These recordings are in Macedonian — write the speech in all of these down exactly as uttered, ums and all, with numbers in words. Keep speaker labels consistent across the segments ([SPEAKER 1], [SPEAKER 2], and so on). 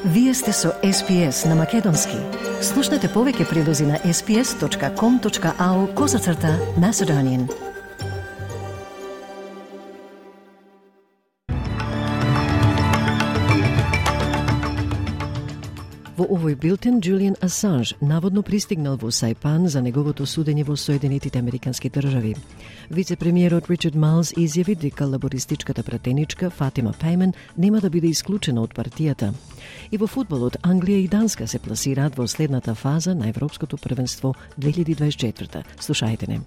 [SPEAKER 1] Вие сте со Ес Пи Ес на Македонски. Слушнете повеќе прилози на ес пи ес точка ком точка ау козацрта Macedonian. Во овој билтен, Джулијан Асанж наводно пристигнал во Сајпан за неговото судење во Соединетите Американски држави. Вице-премиерот Ричард Майлс изјави дека лабористичката пратеничка Фатима Пеймен нема да биде исклучена од партијата. И во фудбалот, Англија и Данска се пласираат во следната фаза на Европското првенство две илјади дваесет и четврта. Слушајте не.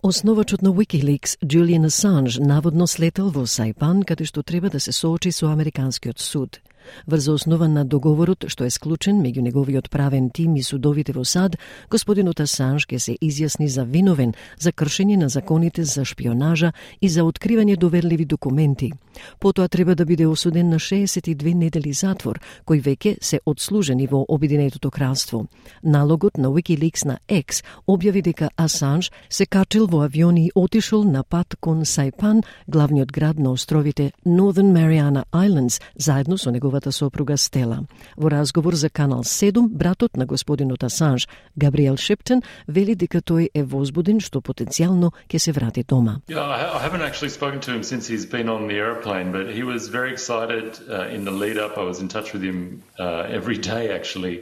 [SPEAKER 1] Основачот на Wikileaks, Джулијан Асанж, наводно слетел во Сајпан, каде што треба да се соочи со Американскиот суд. Врз основа на договорот што е склучен меѓу неговиот правен тим и судовите во САД, господинот Асанж ќе се изјасни за виновен за кршење на законите за шпионажа и за откривање доверливи документи. Потоа треба да биде осуден на шеесет и две недели затвор, кои веќе се одслужени во Обединетото кралство. Налогот на Wikileaks на X објави дека Асанж се качил во авион и отишол на пат кон Сајпан, главниот град на островите Northern Mariana Islands, заедно со неговата сопруга Стела. Во разговор за Канал седум, братот на господинот Асанж, Габриел Шиптон, вели дека тој е возбуден што потенцијално ќе се врати дома.
[SPEAKER 2] Yeah, I haven't actually spoken to him since he's been on the airplane, but he was very excited uh, in the lead up. I was in touch with him uh, every day actually.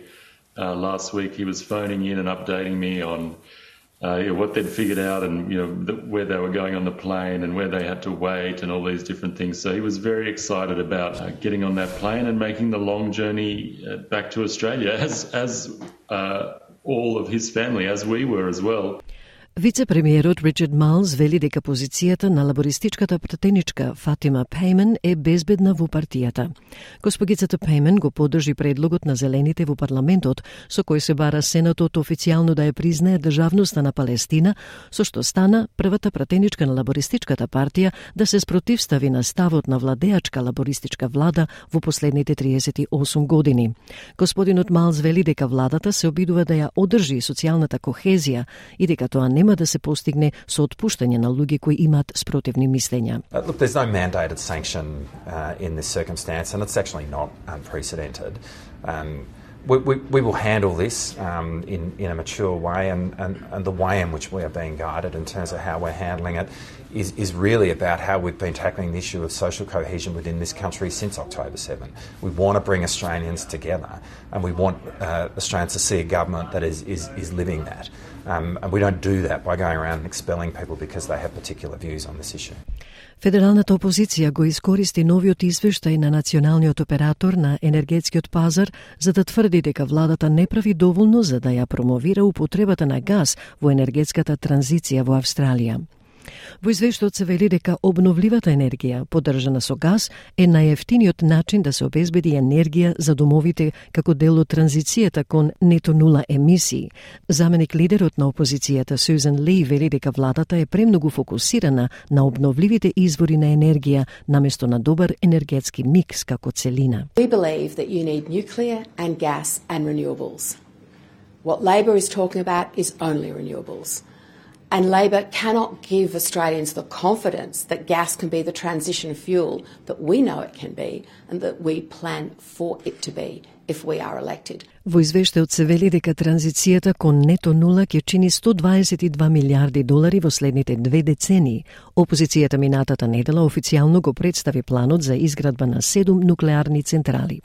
[SPEAKER 2] Uh, last week he was phoning in and updating me on Uh, you know, what they'd figured out and, you know, the, where they were going on the plane and where they had to wait and all these different things. So he was very excited about uh, getting on that plane and making the long journey uh, back to Australia, as, as uh, all of his family, as we were as well.
[SPEAKER 1] Вице-премиерот Ричард Майлс вели дека позицијата на лабористичката пратеничка Фатима Пеймен е безбедна во партијата. Госпогицата Пеймен го поддржи предлогот на зелените во парламентот, со кој се бара Сенатот официјално да ја признае државноста на Палестина, со што стана првата пратеничка на лабористичката партија да се спротивстави на ставот на владеачка лабористичка влада во последните триесет и осум години. Господинот Майлс вели дека владата се обидува да ја одржи социјалната кохезија и дека тоа нема да се постигне со отпуштање на луѓе кои имаат спротивни мислења.
[SPEAKER 3] Uh, look, there's no mandated sanction uh, in this circumstance, and it's actually not unprecedented. Um, we, we, we will handle this um, in, in a mature way, and, and, and the way in which we are being guided in terms of how we're handling it is, is really about how we've been tackling the issue of social cohesion within this country since October seventh. We want to bring Australians together, and we want uh, Australians to see a government that is, is, is living that. Um, and we don't do that by going around and expelling people because they have particular views on this issue.
[SPEAKER 1] Федералната опозиција го искористи новиот извештај на националниот оператор на енергетскиот пазар за да тврди дека владата не прави доволно за да ја промовира употребата на газ во енергетската транзиција во Австралија. Во извештајот се вели дека обновливата енергија, поддржана со газ, е најефтиниот начин да се обезбеди енергија за домовите како дел од транзицијата кон нето нула емисии. Заменик лидерот на опозицијата Сюзан Ли вели дека владата е премногу фокусирана на обновливите извори на енергија наместо на добар енергетски микс како целина.
[SPEAKER 4] We believe that you need nuclear and gas and renewables. What Labor is talking about is only renewables. And Labor cannot give Australians the confidence that gas can be the transition fuel that we know it can be and that we plan for it to be if we are elected.
[SPEAKER 1] Во извештајот се вели дека транзицијата кон нето нула ќе чини сто дваесет и два милиарди долари во следните две децении. Опозицијата минатата недела официјално го представи планот за изградба на седум нуклеарни централи.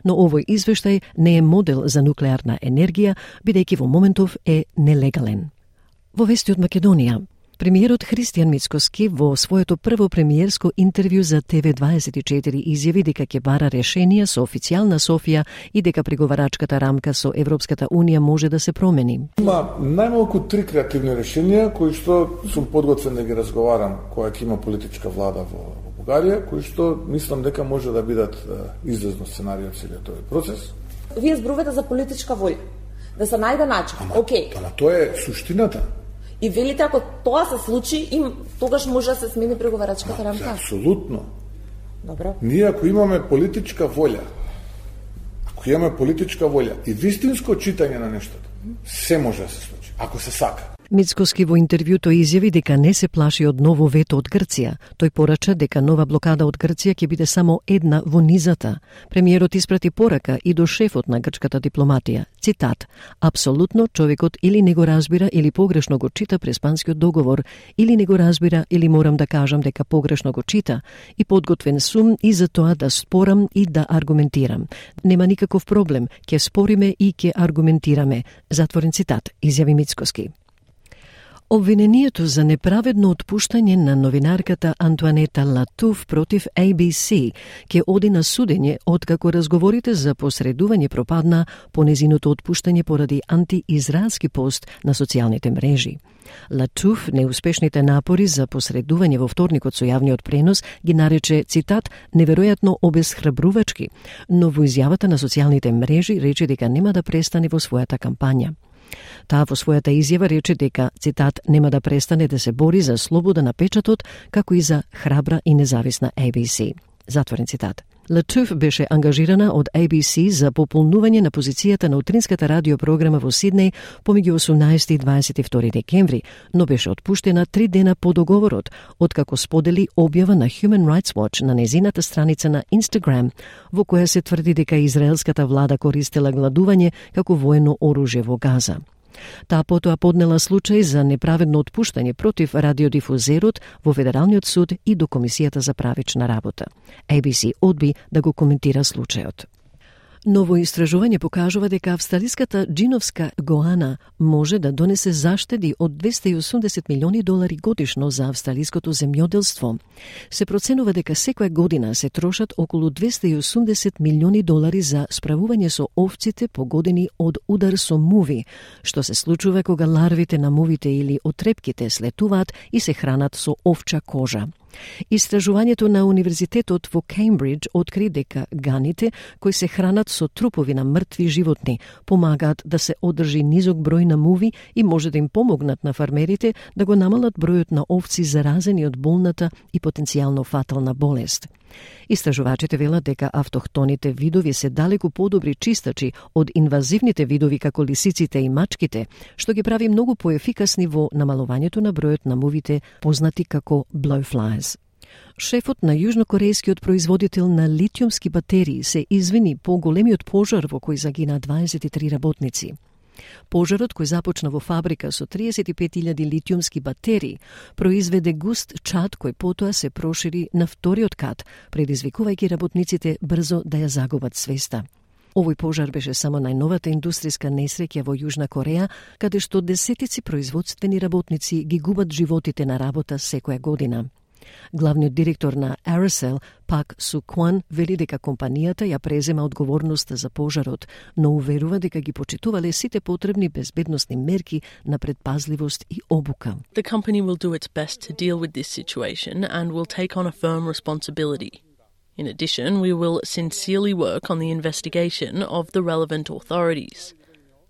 [SPEAKER 1] Но овој извештај не е модел за нуклеарна енергија, бидејќи во моментов е нелегален. Во вести од Македонија, премиерот Христијан Мицкоски во своето прво премиерско интервју за Те Ве дваесет и четири изјави дека ќе бара решенија со официјална Софија и дека преговарачката рамка со Европската Унија може да се промени.
[SPEAKER 5] Има најмалку три креативни решенија кои што сум подготвен да ги разговарам кога ќе има политичка влада во Бугарија, кои што мислам дека може да бидат излезно сценарио целиот овој процес.
[SPEAKER 6] Вие зборувате за политичка волја, да се најде начин. Океј.
[SPEAKER 5] Ама тоа е суштината.
[SPEAKER 6] И велите, ако тоа се случи, им тогаш може да се смени преговарачката рамка?
[SPEAKER 5] Апсолутно.
[SPEAKER 6] Добро.
[SPEAKER 5] Ние ако имаме политичка волја, ако имаме политичка волја и вистинско читање на нештото, се може да се случи, ако се сака.
[SPEAKER 1] Мицкоски во интервјуто изјави дека не се плаши од ново вето од Грција. Тој порача дека нова блокада од Грција ќе биде само една во низата. Премиерот испрати порака и до шефот на грчката дипломатија. Цитат: "Апсолутно човекот или не го разбира или погрешно го чита преспанскиот договор, или не го разбира или морам да кажам дека погрешно го чита и подготвен сум и за тоа да спорам и да аргументирам. Нема никаков проблем, ќе спориме и ќе аргументираме." Затворен цитат, изјави Мицкоски. Обвинението за неправедно отпуштање на новинарката Антуанета Латуф против A B C ќе оди на судење откако разговорите за посредување пропадна по незиното отпуштање поради антиизраелски пост на социјалните мрежи. Латуф неуспешните напори за посредување во вторникот со јавниот пренос ги нарече, цитат, неверојатно обесхрабрувачки, но во изјавата на социјалните мрежи рече дека нема да престане во својата кампања. Таа во својата изјава рече дека, цитат, нема да престане да се бори за слобода на печатот, како и за храбра и независна A B C. Затворен цитат. Латуф беше ангажирана од A B C за пополнување на позицијата на утринската радиопрограма во Сиднеј помеѓу осумнаесети и дваесет и втори декември, но беше отпуштена три дена по договорот, откако сподели објава на Human Rights Watch на незината страница на Instagram, во која се тврди дека израелската влада користела гладување како воено оружје во Газа. Таа потоа поднела случај за неправедно отпуштање против радиодифузерот во Федералниот суд и до Комисијата за правична работа. A B C одби да го коментира случајот. Ново истражување покажува дека австралиската джиновска гоана може да донесе заштеди од двесте и осумдесет милиони долари годишно за австралиското земјоделство. Се проценува дека секоја година се трошат околу двесте и осумдесет милиони долари за справување со овците погодени од удар со муви, што се случува кога ларвите на мувите или отрепките слетуваат и се хранат со овча кожа. Истражувањето на Универзитетот во Кеймбридж откри дека ганите кои се хранат со трупови на мртви животни помагаат да се одржи низок број на муви и може да им помогнат на фармерите да го намалат бројот на овци заразени од болната и потенцијално фатална болест. Истражувачите велат дека автохтоните видови се далеку подобри чистачи од инвазивните видови како лисиците и мачките, што ги прави многу поефикасни во намалувањето на бројот на мувите познати како blowflies. Шефот на јужнокорејскиот производител на литиумски батерии се извини по големиот пожар во кој загина дваесет и три работници. Пожарот, кој започна во фабрика со триесет и пет илјади литиумски батерии, произведе густ чад кој потоа се прошири на вториот кат, предизвикувајќи работниците брзо да ја загубат свеста. Овој пожар беше само најновата индустријска несреќа во Јужна Кореја, каде што десетици производствени работници ги губат животите на работа секоја година. Главниот директор на Aerosol, Пак Су Кван, вели дека компанијата ја презема одговорноста за пожарот, но уверува дека ги почитувале сите потребни безбедносни мерки на предпазливост и обука.
[SPEAKER 7] The company will do its best to deal with this situation and will take on a firm responsibility. In addition, we will sincerely work on the investigation of the relevant authorities.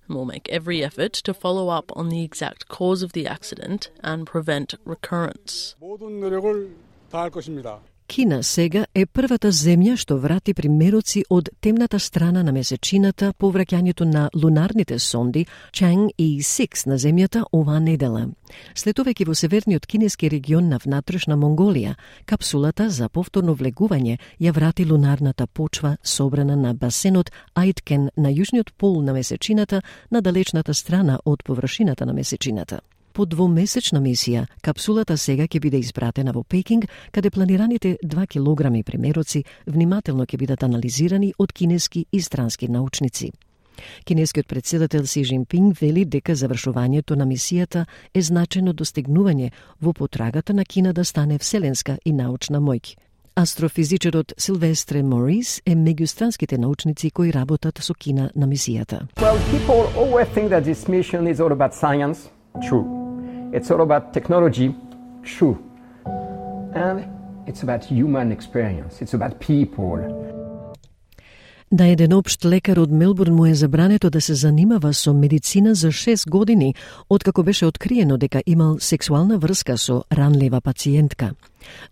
[SPEAKER 7] And we'll make every effort to follow up on the exact cause of the accident and prevent recurrence.
[SPEAKER 1] Кина сега е првата земја што врати примероци од темната страна на месечината по враќањето на лунарните сонди Чанг и Сикс на земјата оваа недела. Слетувајќи во северниот кинески регион на внатрешна Монголија, капсулата за повторно влегување ја врати лунарната почва собрана на басенот Ајткен на јужниот пол на месечината на далечната страна од површината на месечината. По двомесечна мисија, капсулата сега ќе биде испратена во Пекинг, каде планираните два килограми примероци внимателно ќе бидат анализирани од кинески и странски научници. Кинескиот председател Си Жинпинг вели дека завршувањето на мисијата е значајно достигнување во потрагата на Кина да стане вселенска и научна моќ. Астрофизичарот Силвестре Морис е меѓу странските научници кои работат со Кина на мисијата.
[SPEAKER 8] Well, people always think that this mission is all about science. True. It's all about technology. True. And it's about human experience. It's about people.
[SPEAKER 1] Да еден општ лекар од Мелбурн му е забрането да се занимава со медицина за шест години, откако беше откриено дека имал сексуална врска со ранлива пациентка.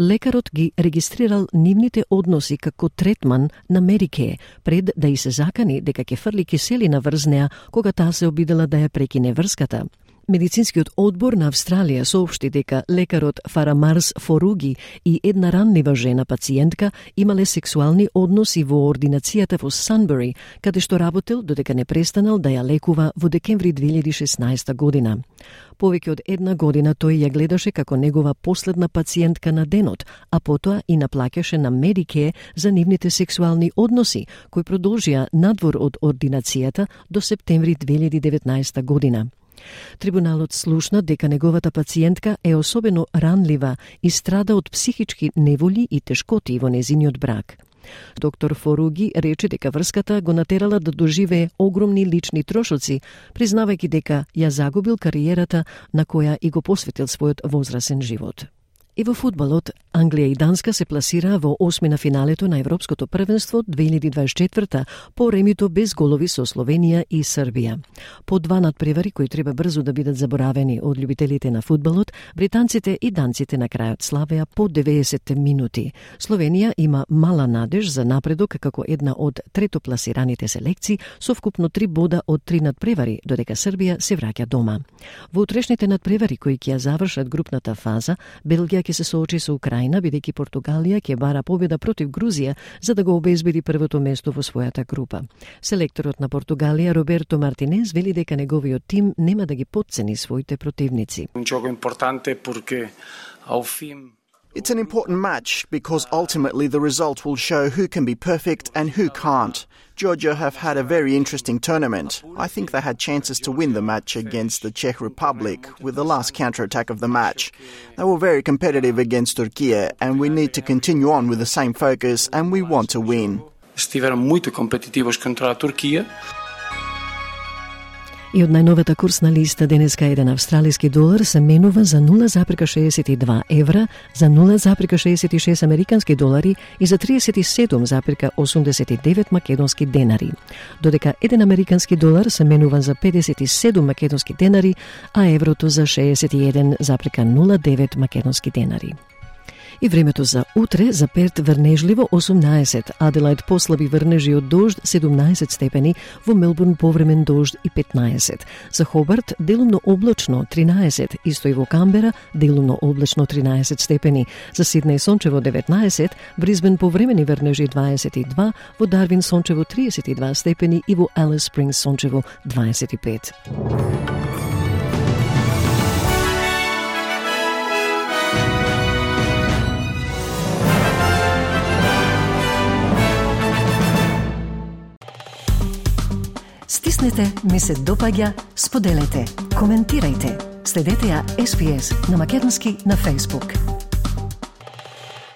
[SPEAKER 1] Лекарот ги регистрирал нивните односи како третман на Медикеј, пред да и се закани дека ќе фрли киселина врз неа кога таа се обидела да ја прекине врската. Медицинскиот одбор на Австралија соопшти дека лекарот Фарамарс Форуги и една ранлива жена пациентка имале сексуални односи во ординацијата во Санбери, каде што работел додека не престанал да ја лекува во декември две илјади и шеснаесета година. Повеќе од една година тој ја гледаше како негова последна пациентка на денот, а потоа и наплаќаше на Медикеј за нивните сексуални односи, кои продолжија надвор од ординацијата до септември две илјади и деветнаесета година. Трибуналот слушна дека неговата пациентка е особено ранлива и страда од психички неволи и тешкоти во незиниот брак. Доктор Форуги рече дека врската го натерала да доживее огромни лични трошоци, признавајќи дека ја загубил кариерата на која и го посветил својот возрасен живот. И во фудбалот, Англија и Данска се пласираа во осми на финалето на Европското првенство две илјади дваесет и четврта по ремито без голови со Словенија и Србија. По два надпревари кои треба брзо да бидат заборавени од љубителите на фудбалот, британците и данците на крајот славеа по деветдесет минути. Словенија има мала надеж за напредок како една од третопласираните селекции со вкупно три бода од три надпревари, додека Србија се враќа дома. Во утрешните надпревари кои ќе ја завршат групната фаза, Белгија ќе се соочи со Украина, бидејќи Португалија ќе бара победа против Грузија за да го обезбеди првото место во својата група. Селекторот на Португалија Роберто Мартинез вели дека неговиот тим нема да ги потцени своите противници.
[SPEAKER 9] It's an important match because ultimately the result will show who can be perfect and who can't. Georgia have had a very interesting tournament. I think they had chances to win the match against the Czech Republic with the last counter-attack of the match. They were very competitive against Turkey and we need to continue on with the same focus and we want to win.
[SPEAKER 10] Estiveram muito competitivos contra a Turquia.
[SPEAKER 1] И од најновата курсна листа денеска еден австралиски долар се менува за нула запирка шеесет и два евра, за нула запирка шеесет и шест американски долари и за триесет и седум запирка осумдесет и девет македонски денари. Додека еден американски долар се менува за педесет и седум македонски денари, а еврото за шеесет и еден запирка нула девет македонски денари. И времето за утре, за Перт врнежливо осумнаесет, Аделајд послаби врнежи од дожд седумнаесет степени, во Мелбурн повремен дожд и петнаесет. За Хобарт делумно облачно тринаесет, исто и во Камбера делумно облачно тринаесет степени. За Сиднеј сончево деветнаесет, Брисбен повремени врнежи дваесет и два, во Дарвин сончево триесет и два степени и во Алис Спрингс сончево дваесет и пет. Стиснете, ми се допаѓа, споделете, коментирајте. Следете ја Ес Би Ес на македонски на Facebook.